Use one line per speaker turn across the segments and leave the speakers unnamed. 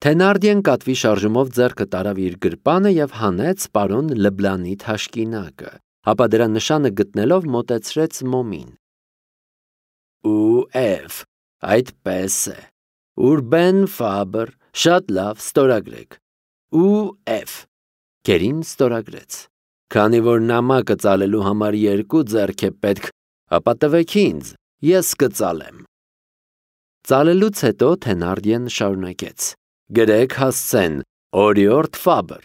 Թենարդիեն կատվի շարժումով ձեռքը տարավ իր գրպանը և հանեց պարոն Լբլանի թաշկինակը, ապա դրա նշանը գտնելով մոտեցրեց մոմին։ Ու այդպես է։ Ուրբեն Ֆաբր, շատ լավ, ստորագրեք։ Գերին ստորագրեց։ Քանի որ նամակը ծալելու համար 2 ձեռք է պետք, ապա տվեք ինձ, ես կծալեմ։ Ծալելուց հետո Թենարդիեն շարունակեց. Գրեք հասցեն, օրիորդ Ֆաբր,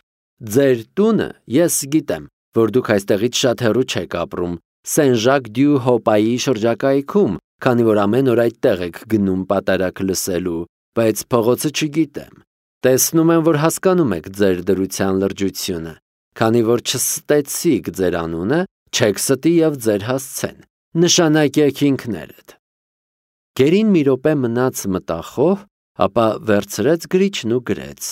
ձեր տունը ես գիտեմ, որ դուք այստեղից շատ հեռու չեք ապրում, Սեն-Ժակ-դյու-Հոպայի շրջակայքում, քանի որ ամեն օր այդտեղ եք գնում պատարակ լսելու, բայց փողոցը չգիտեմ։ Տեսնում եմ, որ հասկանում եք ձեր դրության լրջությունը, քանի որ չստեցիք ձեր անունը, չեք ստի և ձեր հասցեն, նշանակեք ինքներդ։ Գերին մի րոպե մնաց մտախոհ, ապա վերցրեց գրիչն ու գրեց.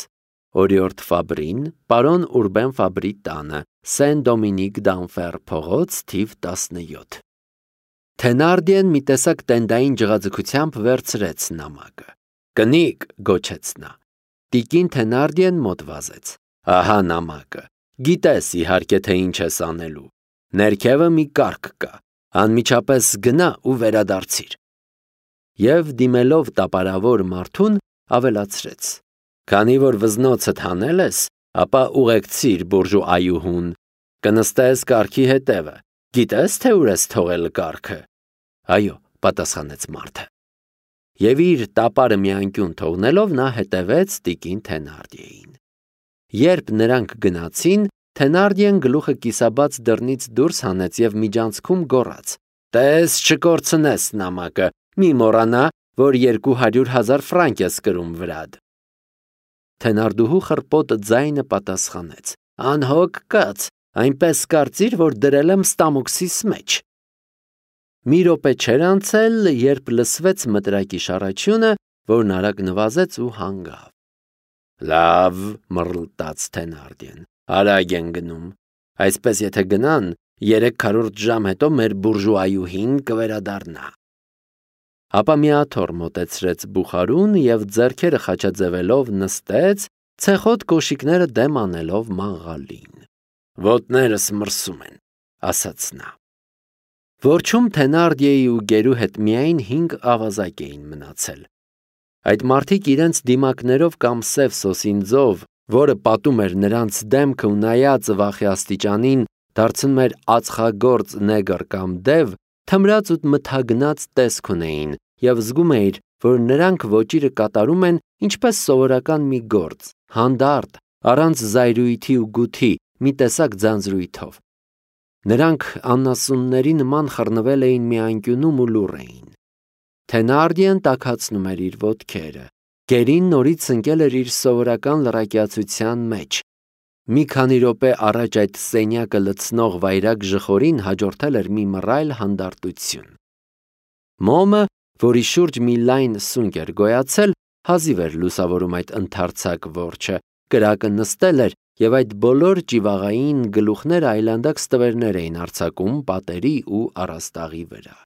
Օրիորդ Ֆաբրին, պարոն Ուրբեն Ֆաբրի տանը, Սեն-Դոմինիկ դ'Անֆեր փողոց, թիվ 17։ Թենարդիեն մի տեսակ տենդային ջղաձգությամբ վերցրեց նամակը։ Կնիկ, գոչեց նա։ Տիկին Թենարդիեն մոտ վազեց։ Ահա նամակը։ Գիտես իհարկե, թե ինչ ես անելու։ Ներքևը մի կարգ կա։ Անմիջապես գնա ու վերադարձիր։ Եվ դիմելով տապարավոր մարդուն ավելացրեց. Քանի որ վզնոցդ հանել ես, ապա ուղեկցիր բուրժուայուհուն, կնստես կարգի հետևը, գիտես թե ուր ես թողել կարգը։ Այո, պատասխանեց մարդը։ Եվ իր տապարը մի անկյուն թողնելով նա հետևեց տիկին Թենարդիեին։ Երբ նրանք գնացին, Թենարդիեն գլուխը կիսաբաց դռնից դուրս հանեց և միջանցքում գոռաց. Տես չկորցնես նամակը, մի մոռանա, որ 200,000 ֆրանկ ես կրում վրադ։ Թենարդուհու խռպոտ ձայնը պատասխանեց. Անհոգ կաց, այնպես կարծիր, որ դրել եմ ստամոքսիս մեջ։ Մի րոպե չէր անցել, երբ լսվեց մտրակի շառաչյունը, որն արագ նվազեց ու հանգավ։ Լավ, մռլտաց Թենարդիեն, արագ են գնում։ Այսպես եթե գնան, 3/4 ժամ հետո մեր բուրժուայուհին կվերադառնա։ Ապա մի աթոռ մոտեցրեց բուխարուն և ձեռքերը խաչաձևելով նստեց, ցեխոտ կոշիկները դեմ անելով մաղալին։ Ոտներս մրսում են, ասաց նա։ Որջում Թենարդիեի ու գերու հետ միայն 5 ավազակ էին մնացել։ Այդ մարդիկ իրենց դիմակներով կամ սև սոսինձով, որը պատում էր նրանց դեմքը ու նայածը վախի աստիճանին, դարձնում էր ածխագործ նեգր կամ դև, թմրած ու մթագնած տեսք ունեին, և զգում էիր, որ նրանք ոճիրը կատարում են ինչպես սովորական մի գործ, հանդարտ, առանց զայրույթի ու գութի, մի տեսակ ձանձրույթով։ Նրանք անասունների նման խռնվել էին մի անկյունում ու լուռ էին։ Թենարդիեն տաքացնում էր իր ոտքերը։ Գերին նորից ընկել էր իր սովորական լռակյացության մեջ։ Մի քանի րոպե առաջ այդ սենյակը լցնող վայրագ ժխորին հաջորդել էր մի մռայլ հանդարտություն։ Մոմը, որի շուրջ մի լայն սունկ էր գոյացել, հազիվ էր լուսավորում այդ ընդարձակ որջը, կրակը նստել էր, և այդ բոլոր ճիվաղային գլուխները այլանդակ ստվերներ էին արձակում պատերի ու առաստաղի վրա։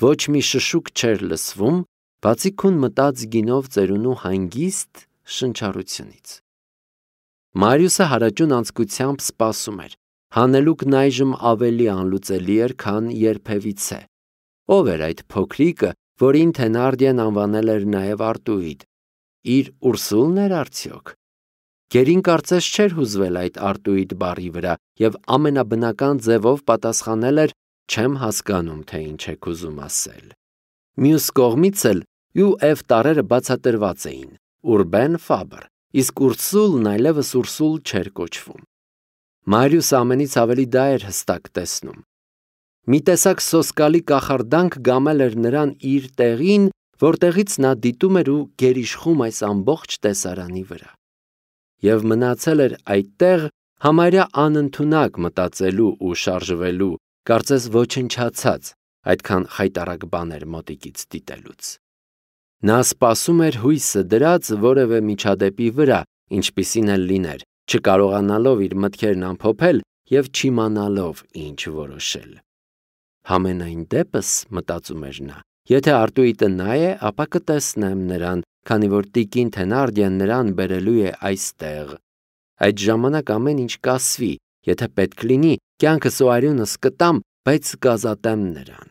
Ոչ մի շշուկ չէր լսվում, բացի քուն մտած գինով ծերունու հանգիստ շնչառությունից։ Մարիուսը հարաճուն անձկությամբ սպասում էր։ Հանելուկն այժմ ավելի անլուծելի էր, քան երբևիցե։ Ով էր այդ փոքրիկը, որին Թենարդիեն անվանել էր նաև Արտուիդ։ Իր Ուրսուլն էր արդյոք։ Գերին կարծես չէր հուզվել այդ Արտուիդ բառի վրա և ամենաբնական ձևով պատասխանել էր. չեմ հասկանում, թե ինչ եք ուզում ասել։ Մյուս կողմից էլ ու տառերը բացատրված էին. Ուրբեն Ֆաբր, իսկ Ուրսուլն այլևս Ուրսուլ չէր կոչվում։ Մարիուսը ամենից ավելի դա էր հստակ տեսնում։ Մի տեսակ սոսկալի կախարդանք գամել էր նրան իր տեղին, որտեղից նա դիտում էր ու գերիշխում այս ամբողջ տեսարանի վրա։ Եվ մնացել էր այդտեղ համարյա անընդունակ մտածելու ու շարժվելու, կարծես ոչնչացած, այդքան խայտառակ բաներ մոտիկից դիտելուց։ Նա սպասում էր հույսը դրած որևէ միջադեպի վրա, ինչպիսին էլ լիներ, չկարողանալով իր մտքերն ամփոփել և չիմանալով ինչ որոշել։ Համենայն դեպս, մտածում էր նա, եթե Արտուիտը նա է, ապա կտեսնեմ նրան, քանի որ տիկին Թենարդիեն նրան բերելու է այստեղ։ Այդ ժամանակ ամեն ինչ կասվի, եթե պետք լինի, կյանքս ու արյունս կտամ, բայց կազատեմ նրան։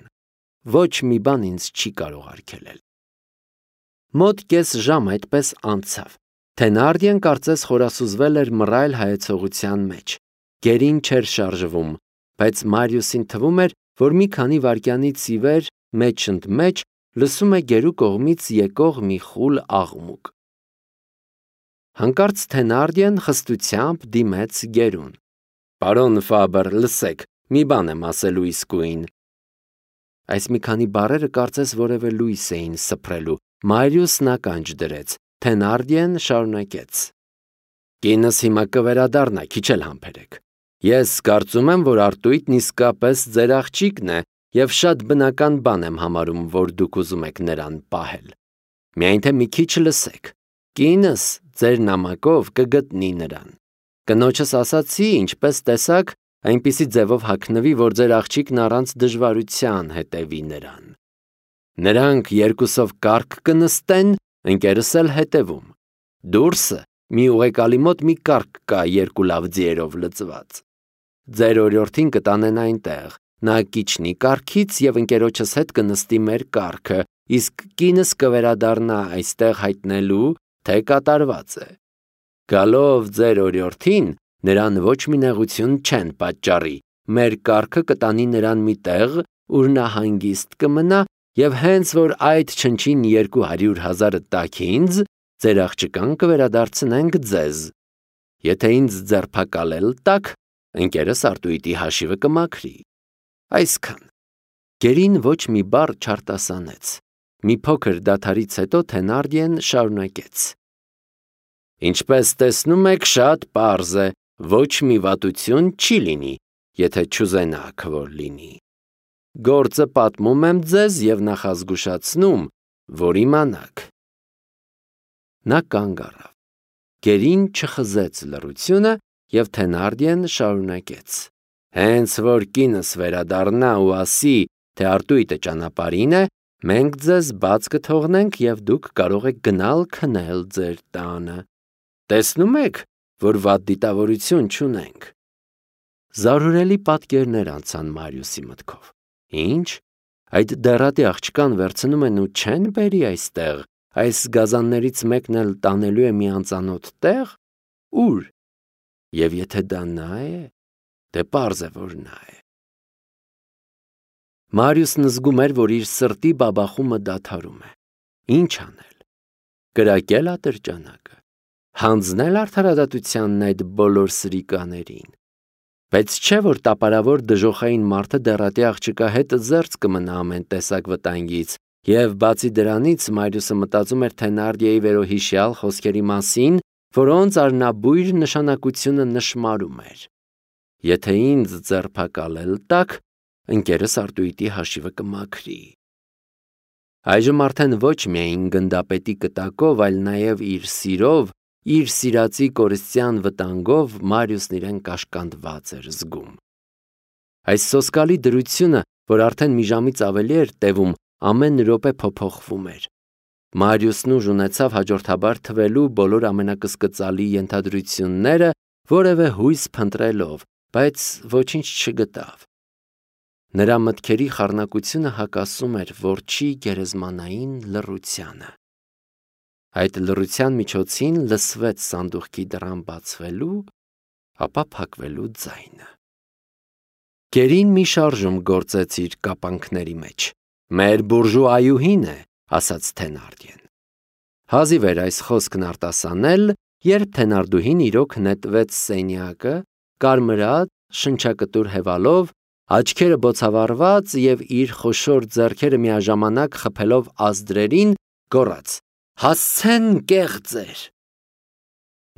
Ոչ մի բան ինձ չի կարող արգելել։ Մոտ կես ժամ այդպես անցավ։ Թենարդիեն կարծես խորասուզվել էր մռայլ հայեցողության մեջ։ Գերին չէր շարժվում, բայց Մարիուսին թվում էր, որ մի քանի վայրկյանից ի վեր մեջ ընդ մեջ լսում է գերու կողմից եկող մի խուլ աղմուկ։ Հանկարծ Թենարդիեն խստությամբ դիմեց գերուն։ «Պարոն Ֆաբր, լսեք, մի բան եմ ասելու իսկույն»։ Այս մի քանի բառերը կարծես որևէ լույս էին սփռելու։ Մարիուսն ականջ դրեց։ Թենարդիեն շարունակեց. «Կինս հիմա կվերադառնա, քիչ էլ համբերեք։ Ես կարծում եմ, որ Արտույտն իսկապես ձեր աղջիկն է և շատ բնական բան եմ համարում, որ դուք ուզում եք նրան պահել։ Միայն թե մի քիչ լսեք։ Կինս ձեր նամակով կգտնի նրան։ Կնոջս ասացի, ինչպես տեսակ, այնպիսի ձևով հագնվի, որ ձեր աղջիկն առանց դժվարության հետևի նրան։ Նրանք երկուսով կառք կնստեն, ընկերս էլ հետևում։ Դուրսը մի ուղեկալի մոտ մի կառք կա երկու լավ ձիերով լծված։ Ձեր օրիորդին կտանեն այնտեղ, նա կիջնի կառքից և ընկերոջս հետ կնստի մեր կառքը, իսկ կինս կվերադառնա այստեղ հայտնելու, թե կատարված է։ Գալով ձեր օրիորդին, նրան ոչ մի նեղություն չեն պատճառի, մեր կառքը կտանի նրան մի տեղ, ուր նա հանգիստ կմնա, և հենց որ այդ չնչին 200,000 տաք ինձ, ձեր աղջկան կվերադարձնենք ձեզ։ Եթե ինձ ձերբակալել տաք, ընկերս Արտույտի հաշիվը կմաքրի։ Այսքան։ Գերին ոչ մի բառ չարտասանեց։ Մի փոքր դադարից հետո Թենարդիեն շարունակեց. Ինչպես տեսնում եք, շատ պարզ է, ոչ մի վատություն չի լինի, եթե չուզենաք, որ լինի։ Գործը պատմում եմ ձեզ և նախազգուշացնում, որ իմանաք։ Նա կանգ առավ։ Գերին չխզեց լռությունը և Թենարդիեն շարունակեց. Հենց որ կինս վերադառնա ու ասի, թե Արտույտը ճանապարհին է, մենք ձեզ բաց կթողնենք և դուք կարող եք գնալ քնել ձեր տանը։ Տեսնում եք, որ վատ դիտավորություն չունենք։ Զարհուրելի պատկերներ անցան Մարիուսի մտքով։ Ինչ, այդ դեռատի աղջկան վերցնում են ու չեն բերի այստեղ, այս գազաններից մեկն էլ տանելու է մի անծանոթ տեղ, ուր։ Եվ եթե դա նա է, դե պարզ է, որ նա է։ Մարիուսն զգում էր, որ իր սրտի բաբախումը դադարում է։ Ինչ անել։ Կրակել ատրճանակը։ Հանձնել արդարադատությանն այդ բոլոր սրիկաներին։ Բայց չէ, որ տապարավոր դժոխային մարդը դեռատի աղջկա հետ զերծ կմնա ամեն տեսակ վտանգից, և բացի դրանից Մարիուսը մտածում էր Թենարդիեի վերոհիշյալ խոսքերի մասին, որոնց արնաբույր նշանակությունը նշմարում էր։ Եթե ինձ ձերբակալել տաք, ընկերս Արտույտի հաշիվը կմաքրի։ Այժմ արդեն ոչ միայն գնդապետի կտակով, այլ նաև իր սիրով, իր սիրածի կորստյան վտանգով Մարիուսն իրեն կաշկանդված էր զգում։ Այս սոսկալի դրությունը, որ արդեն մի ժամից ավելի էր տևում, ամեն րոպե փոփոխվում էր։ Մարիուսն ուժ ունեցավ հաջորդաբար թվելու բոլոր ամենակսկծալի ենթադրությունները, որևէ հույս փնտրելով, բայց ոչինչ չգտավ։ Նրա մտքերի խառնակությունը հակասում էր որջի գերեզմանային լռությանը։ Այդ լռության միջոցին լսվեց սանդուղքի դռան բացվելու, ապա փակվելու ձայնը։ Գերին մի շարժում գործեց իր կապանքների մեջ։ Մեր բուրժուայուհին է, ասաց Թենարդիեն։ Հազիվ էր այս խոսքն արտասանել, երբ Թենարդուհին իրոք նետվեց սենյակը, կարմրած, շնչակտուր հևալով, աչքերը բոցավառված և իր խոշոր ձեռքերը միաժամանակ խփելով ազդրերին, գոռաց. «Հասցեն կեղծեր»։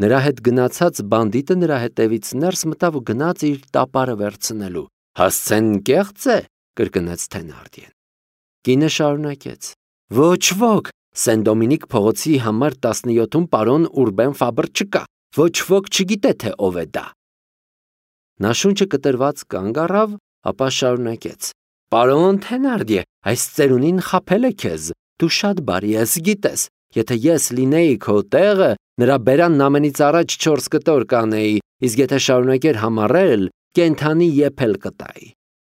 Նրա հետ գնացած բանդիտը նրա հետևից ներս մտավ ու գնաց իր տապարը վերցնելու։ «Հասցեն կեղծ է», կրկնեց Թենարդիեն։ Կինը շարունակեց. «Ոչ ոք, Սեն Դոմինիկ փողոցի համար 17-ում պարոն Ուրբեն Ֆաբր չկա, ոչ ոք չգիտե, թե ով է դա»։ Նա շունչը կտրված կանգ առավ, ապա շարունակեց. «Պարոն Թենարդիե, այս ծերունին խաբել է քեզ, դու շատ բարի ես, գիտես, Եթե ես լինեի քո տեղը, նրա բերանն ամենից առաջ 4 կտոր կանեի, իսկ եթե շարունակեր համառել, կենթանի եփել կտայի։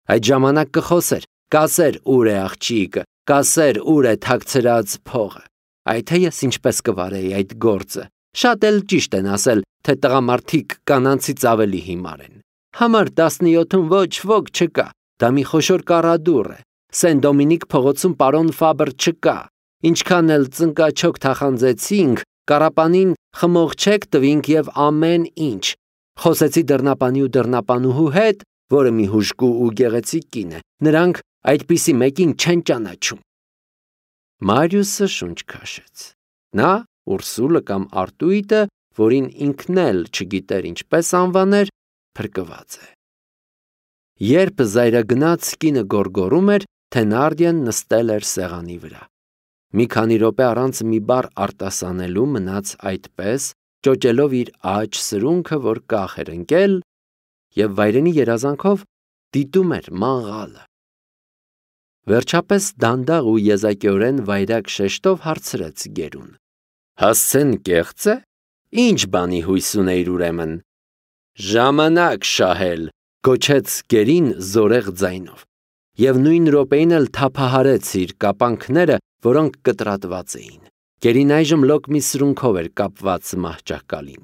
Այդ ժամանակ կխոսեր, կասեր ուր է աղջիկը, կասեր ուր է թաքցրած փողը։ Այ թե ես ինչպես կվարեի այդ գործը։ Շատ էլ ճիշտ են ասել, թե տղամարդիկ կանանցից ավելի հիմար են։ Համար 17-ում ոչ ոք չկա, դա մի խոշոր կառադուռ է։ Սեն Դոմինիկ փողոցում պարոն Ֆաբր չկա։ Ինչքան էլ ծնկաչոք թախանձեցինք, կառապանին խմողչեք տվինք եւ ամեն ինչ։ Խոսեցի դռնապանի ու դռնապանուհու հետ, որը մի հուժկու ու գեղեցիկ կին է։ Նրանք այդպիսի մեկին չեն ճանաչում։ Մարիուսը շունչ քաշեց։ Նա Ուրսուլը կամ Արտույտը, որին ինքն էլ չգիտեր ինչպես անվաներ, փրկված է։ Երբ զայրագնաց կինը գոռգոռում էր, Թենարդիեն նստել էր սեղանի վրա։ Մի քանի րոպե առանց մի բառ արտասանելու մնաց այդպես, ճոճելով իր աջ սրունքը, որ կախ էր ընկել, եւ վայրենի երազանքով դիտում էր մաղալը։ Վերջապես դանդաղ ու եզակիորեն վայրակ շեշտով հարցրեց գերուն. Հասցեն կեղծ է։ Ինչ բանի հույս ունեիր ուրեմն։ Ժամանակ շահել, գոչեց գերին զորեղ ձայնով, եւ նույն րոպեին էլ թափահարեց իր կապանքները, որոնք կտրատված էին։ Գերին այժմ լոկ մի սրունքով էր կապված մահճակալին։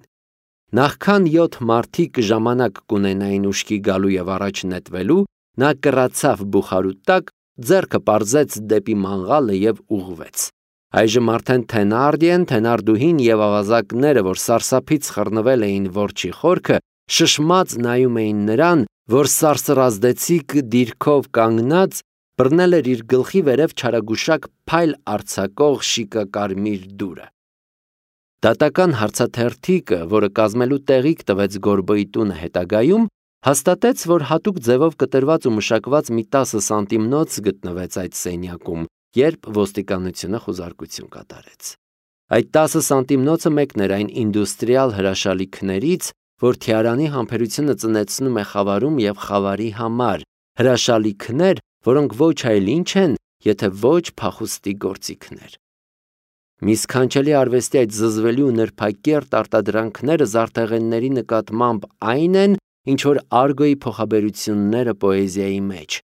Նախքան 7 մարդիկ ժամանակ կունենային ուշքի գալու եւ առաջ նետվելու, նա կռացավ բուխարու տակ, ձեռքը պարզեց դեպի մանգալը եւ ուղղվեց։ Այժմ արդեն Թենարդիեն, Թենարդուհին եւ ավազակները, որ սարսափից խռնվել էին որջի խորքը, շշմած նայում էին նրան, որ սարսռազդեցիկ դիրքով կանգնած բռնել էր իր գլխի վերև չարագուշակ փայլ արձակող շիկակարմիր դուրը։ Դատական հարցաթերթիկը, որը կազմելու տեղիք տվեց Գորբոյի տունը հետագայում, հաստատեց, որ հատուկ ձևով կտրված ու մշակված մի 10 սանտիմնոց գտնվեց այդ սենյակում, երբ ոստիկանությունը խուզարկություն կատարեց։ Այդ 10 սանտիմնոցը մեկն էր այն ինդուստրիալ հրաշալիքներից, որ թիարանի համբերությունը ծնեցնում է խավարում եւ խավարի համար, հրաշալիքներ, որոնք ոչ այլ ինչ են, եթե ոչ փախուստի գործիքներ։ Մի սքանչելի արվեստի այդ զզվելի ու նրբակերտ արտադրանքները զարդեղենների նկատմամբ այն են, ինչ որ Արգոյի փոխաբերությունները պոեզիայի մեջ։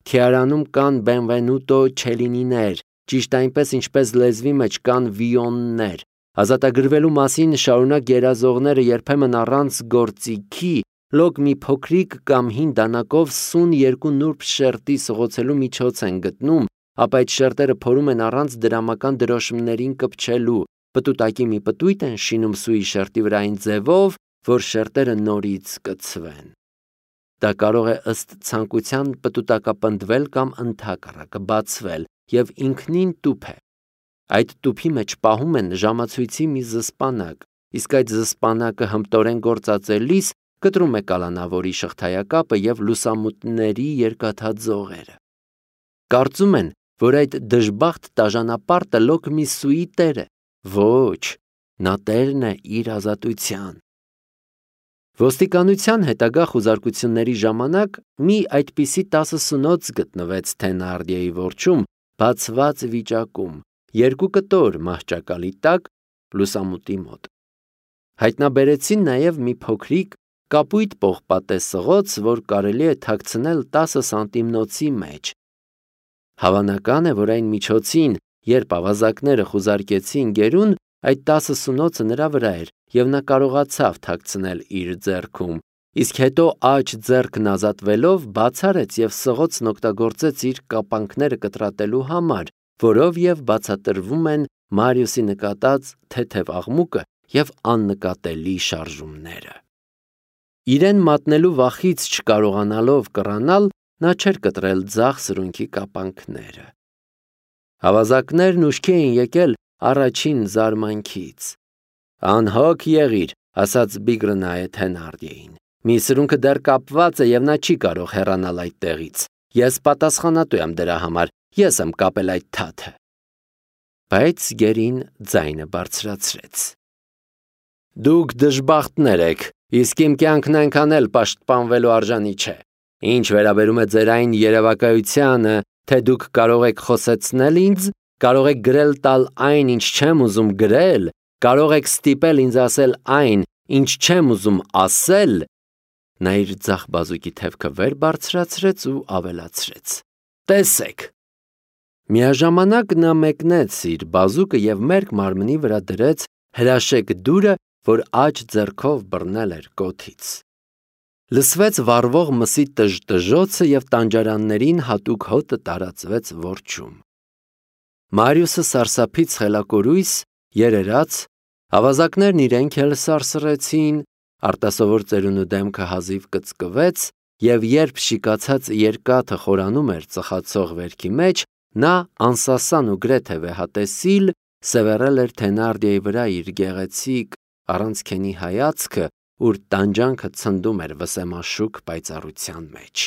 Թիարանում կան Բենվենուտո Չելինիներ, ճիշտ այնպես ինչպես լեզվի մեջ կան Վիոններ։ Ազատագրվելու մասին շարունակ երազողները երբեմն առանց գործիքի լոկ մի փոքրիկ կամ հին դանակով սուն երկու նուրբ շերտի սղոցելու միջոց են գտնում, ապա այդ շերտերը փորում են առանց դրամական դրոշմներին կպչելու, պտուտակի մի պտույտ են շինում սուի շերտի վրա այն ձևով, որ շերտերը նորից կցվեն։ Դա կարող է ըստ ցանկության պտուտակապնդվել կամ ընդհակառակը բացվել եւ ինքնին տուփ է։ Այդ տուփի մեջ պահում են ժամացույցի մի զսպանակ, իսկ այդ զսպանակը հմտորեն գործածելիս կտրում է կալանավորի շղթայակապը եւ լուսամուտների երկաթաձողերը։ Կարծում են, որ այդ դժբախտ տաժանապարտը լոկ մի սուի տեր է։ Ոչ, նա տերն է իր ազատության։ Ոստիկանության հետագա խուզարկությունների ժամանակ մի այդպիսի 10 սունոց գտնվեց Թենարդիեի որջում, բացված վիճակում, 2 կտոր մահճակալի տակ, լուսամուտի մոտ։ Հայտնաբերեցին նաև մի փոքրիկ կապույտ պողպատե սղոց, որ կարելի է թաքցնել 10 սանտիմնոցի մեջ։ Հավանական է, որ այն միջոցին, երբ ավազակները խուզարկեցին գերուն, այդ 10 սունոցը նրա վրա էր, եւ նա կարողացավ թաքցնել իր ձեռքում, իսկ հետո աջ ձեռքն ազատվելով բացարեց եւ սղոցն օգտագործեց իր կապանքները կտրատելու համար, որով եւ բացատրվում են Մարիուսի նկատած թեթև աղմուկը եւ աննկատելի շարժումները։ Իրեն մատնելու վախից չկարողանալով կռանալ, նա չէր կտրել ձախ սրունքի կապանքները։ Ավազակներն ուշքի էին եկել առաջին զարմանքից։ Անհոգ եղիր, ասաց Բիգրնայե Թենարդիեին։ Մի սրունքը դեռ կապված է եւ նա չի կարող հեռանալ այդ տեղից։ Ես պատասխանատու եմ դրա համար, ես եմ կապել այդ թաթը։ Բայց գերին ձայնը բարձրացրեց։ Դուք դժբախտներ եք, իսկ իմ կյանքն այնքան էլ պաշտպանվելու արժանի չէ։ Ինչ վերաբերում է ձեր այն երևակայությանը, թե դուք կարող եք խոսեցնել ինձ, կարող եք գրել տալ այն, ինչ չեմ ուզում գրել, կարող եք ստիպել ինձ ասել այն, ինչ չեմ ուզում ասել, նա իր ձախ բազուկի թևքը վեր բարձրացրեց ու ավելացրեց. Տեսեք։ Միաժամանակ նա մեկնեց իր բազուկը և մերկ մարմնի վրա դրեց հրաշեկ դուրը, որ աջ ձեռքով բռնել էր կոթից։ Լսվեց վառվող մսի տժտժոցը և տանջարաններին հատուկ հոտը տարածվեց որջում։ Մարիուսը սարսափից խելակորույս, երերաց, ավազակներն իրենք էլ սարսռեցին, արտասովոր ծերունու դեմքը հազիվ կծկվեց, և երբ շիկացած երկաթը խորանում էր ծխացող վերքի մեջ, նա անսասան ու գրեթե վեհատեսիլ սևեռել էր Թենարդիեի վրա իր գեղեցիկ առանց քենի հայացքը, ուր տանջանքը ցնդում էր վսեմաշուկ պայծառության մեջ։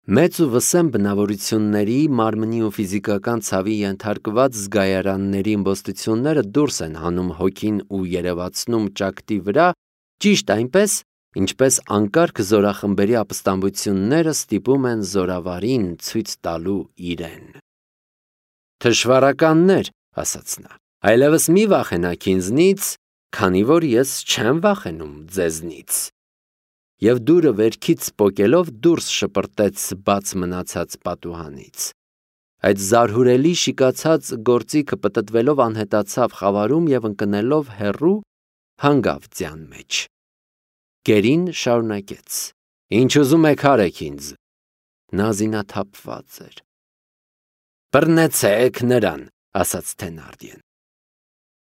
Մեծ ու վսեմ բնավորությունների, մարմնի ու ֆիզիկական ցավի ենթարկված զգայարանների իմպոստությունները դուրս են հանում հոգին ու երևացնում ճակտի վրա, ճիշտ այնպես, ինչպես անկարգ զորախմբերի ապստամբությունները ստիպում են զորավարին ցույց տալու իրեն։ Թշվառականներ, ասաց նա, այլևս մի վախենաք ինձնից, քանի որ ես չեմ վախենում ձեզնից։ Եվ դուրը վերքից պոկելով դուրս շպրտեց բաց մնացած պատուհանից։ Այդ զարհուրելի շիկացած գործիքը պտտվելով անհետացավ խավարում և ընկնելով հեռու հանգավ ձյան մեջ։ Գերին շարունակեց. Ինչ ուզում եք արեք ինձ։ Նա զինաթափված էր։ Բռնեցեք նրան, ասաց Թենարդիեն։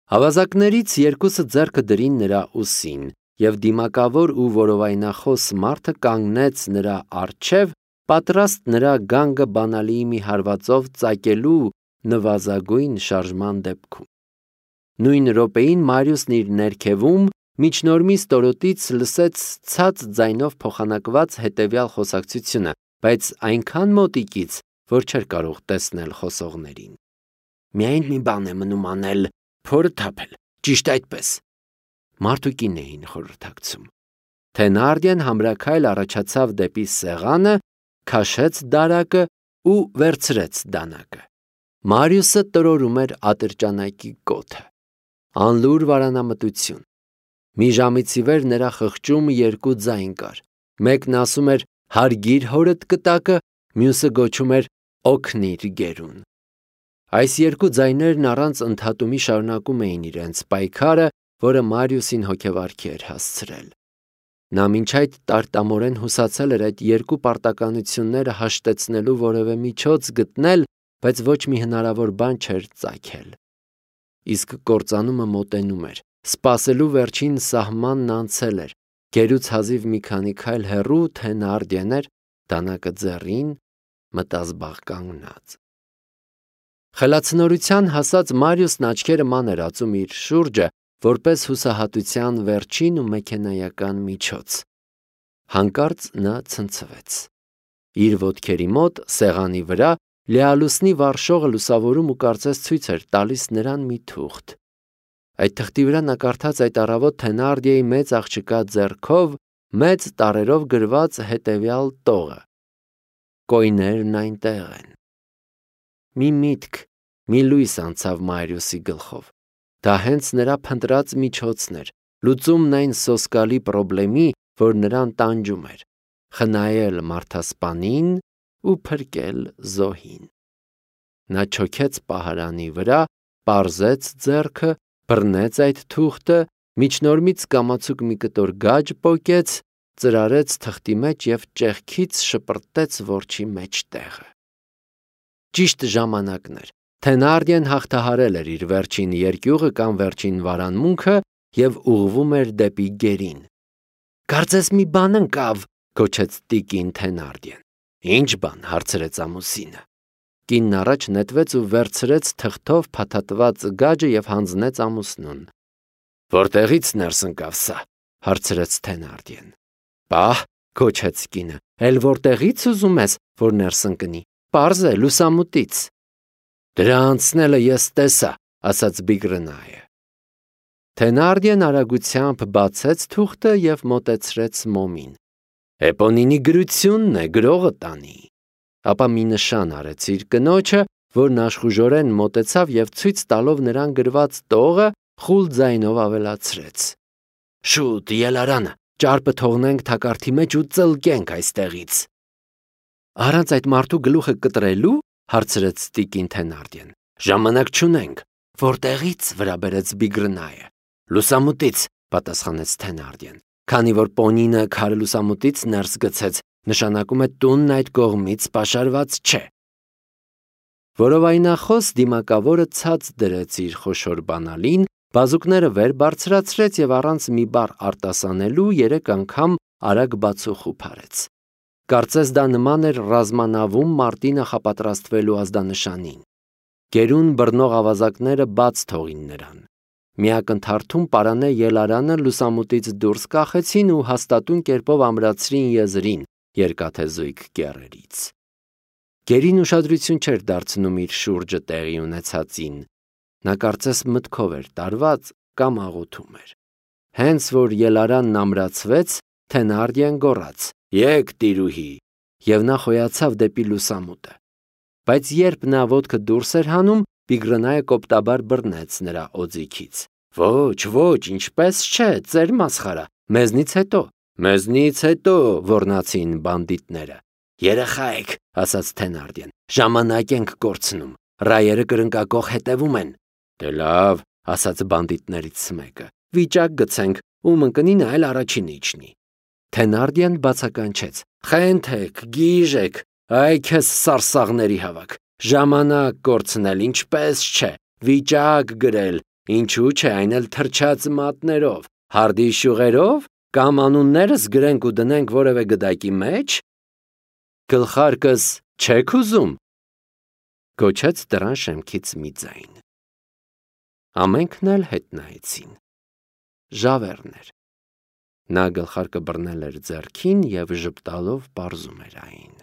Ավազակներից երկուսը ձեռքը դրին նրա ուսին, և դիմակավոր ու որովայնախոս մարդը կանգնեց նրա առջև, պատրաստ նրա գանգը բանալիի մի հարվածով ծակելու նվազագույն շարժման դեպքում։ Նույն րոպեին Մարիուսն իր ներքևում միջնորմի ստորոտից լսեց ցած ձայնով փոխանակված հետևյալ խոսակցությունը, բայց այնքան մոտիկից, որ չէր կարող տեսնել խոսողներին։ Միայն մի բան է մնում անել, փորը թափել, ճիշտ այդպես։ Մարդ ու կին էին խորհրդակցում։ Թենարդիեն համրաքայլ առաջացավ դեպի սեղանը, քաշեց դարակը ու վերցրեց դանակը։ Մարիուսը տրորում էր ատրճանակի կոթը։ Անլուր վարանամտություն։ Մի ժամից ի վեր նրա խղճում երկու ձայն կար։ Մեկն ասում էր հարգիր հորդ կտակը, մյուսը գոչում էր օգնիր գերուն։ Այս երկու ձայներն առանց ընդհատումի շարունակում էին իրենց պայքարը, որը Մարիուսին հոգևարքի էր հասցրել։ Նա մինչ այդ տարտամորեն հուսացել էր այդ երկու պարտականությունները հաշտեցնելու որևէ միջոց գտնել, բայց ոչ մի հնարավոր բան չէր ծագել։ Իսկ կործանումը մոտենում էր, սպասելու վերջին սահմանն անցել էր, գերուց հազիվ մի քանի քայլ հեռու Թենարդիեն էր, դանակը ձեռին, մտազբաղ կանգնած։ Խելացնորության հասած Մարիուսն աչքերը ման էր ածում իր շուրջը, որպես հուսահատության վերջին ու մեքենայական միջոց։ Հանկարծ նա ցնցվեց։ Իր ոտքերի մոտ, սեղանի վրա, լիալուսնի վառշողը լուսավորում ու կարծես ցույց էր տալիս նրան մի թուղթ։ Այդ թղթի վրա նա կարդաց այդ առավոտ Թենարդիեի մեծ աղջկա ձեռքով մեծ տառերով գրված հետևյալ տողը. Կոյներն այնտեղ են։ Մի միտք, մի լույս անցավ Մարիուսի գլխով։ Դա հենց նրա փնտրած միջոցն էր, լուծումն այն սոսկալի պրոբլեմի, որ նրան տանջում էր, խնայել մարդասպանին ու փրկել զոհին։ Նա չոքեց պահարանի վրա, պարզեց ձեռքը, բռնեց այդ թուղթը, միջնորմից կամացուկ մի կտոր գաջ պոկեց, ծրարեց թղթի մեջ և ճեղքից շպրտեց որջի մեջտեղը։ Ճիշտ ժամանակն էր։ Թենարդիեն հաղթահարել էր իր վերջին երկյուղը կամ վերջին վարանմունքը և ուղղվում էր դեպի գերին։ Կարծես մի բան ընկավ, գոչեց տիկին Թենարդիեն։ Ինչ բան, հարցրեց ամուսինը։ Կինն առաջ նետվեց ու վերցրեց թղթով փաթաթված գաջը և հանձնեց ամուսնուն։ Որտեղից ներս ընկավ սա, հարցրեց Թենարդիեն։ Պահ, գոչեց կինը, էլ որտեղից ուզում ես, որ ներս ընկնի, պարզ է, լուսամուտից։ Դրա անցնելը ես տեսա, ասաց Բիգրնայը։ Թենարդիեն արագությամբ բացեց թուղթը և մոտեցրեց մոմին։ Էպոնինի գրությունն է, գրողը տանի։ Ապա մի նշան արեց իր կնոջը, որն աշխուժորեն մոտեցավ և ցույց տալով նրան գրված տողը խուլ ձայնով ավելացրեց. «Շուտ, ելարանը, ճարպը թողնենք թակարդի մեջ ու ծլկենք այստեղից»։ «Առանց այդ մարդու գլուխը կտրելու» հարցրեց տիկին Թենարդիեն։ «Ժամանակ չունենք»։ «Որտեղից» վրա բերեց Բիգրնայը։ «Լուսամուտից», պատասխանեց Թենարդիեն։ Քանի որ պոնինը քարը լուսամուտից ներս գցեց, նշանակում է տունն այդ կողմից պաշարված չէ։ Որովայնախոս դիմակավորը ցած դրեց իր խոշոր բանալին, բազուկները վեր բարձրացրեց և առանց մի բառ արտասանելու 3 անգամ արագ բացուխու փարեց։ Կարծես դա նման էր ռազմանավում մարտի նախապատրաստվելու ազդանշանին։ Գերուն բռնող ավազակները բաց թողին նրան։ Միակնթարթում պարանե ելարանը լուսամուտից դուրս կախեցին ու հաստատուն կերպով ամրացրին եզրին երկաթե զույգ կեռերից։ Գերին ուշադրություն չէր դարձնում իր շուրջը տեղի ունեցածին։ Նա կարծես մտքով էր տարված կամ աղոթում էր։ Հենց որ ելարանն ամրացվեց, Թենարդիեն գոռաց. «Եկ, տիրուհի», և նա խոյացավ դեպի լուսամուտը։ Բայց երբ նա ոտքը դուրս էր հանում, Բիգրնայը կոպտաբար բռնեց նրա օձիքից։ «Ոչ, ինչպես չէ, ծեր մասխարա, մեզնից հետո»։ «Մեզնից հետո», ոռնացին բանդիտները։ «Երեխա եք», ասաց Թենարդիեն, «ժամանակ ենք կորցնում, ռայերը կրնկակող հետևում են»։ «Դե լավ», ասաց բանդիտներից մեկը, «վիճակ գցենք, ում ընկնի նա էլ առաջինը իջնի»։ Թենարդիեն բացականչեց. «Խենթեք, գիժեք, այ քեզ սարսաղների հավաք, ժամանակ կորցնել, ինչպես չէ, վիճակ գրել, ինչու չէ, այն էլ թրջած մատներով, հարդի շյուղերով, կամ անուններս գրենք ու դնենք որևէ գդակի մեջ։ Գլխարկս չեք ուզում»։ Գոչեց դռան շեմքից մի ձայն։ Ամենքն էլ հետ նայեցին։ Ժավեռն էր։ Նա գլխարկը բռնել էր ձեռքին և ժպտալով պարզում էր այն։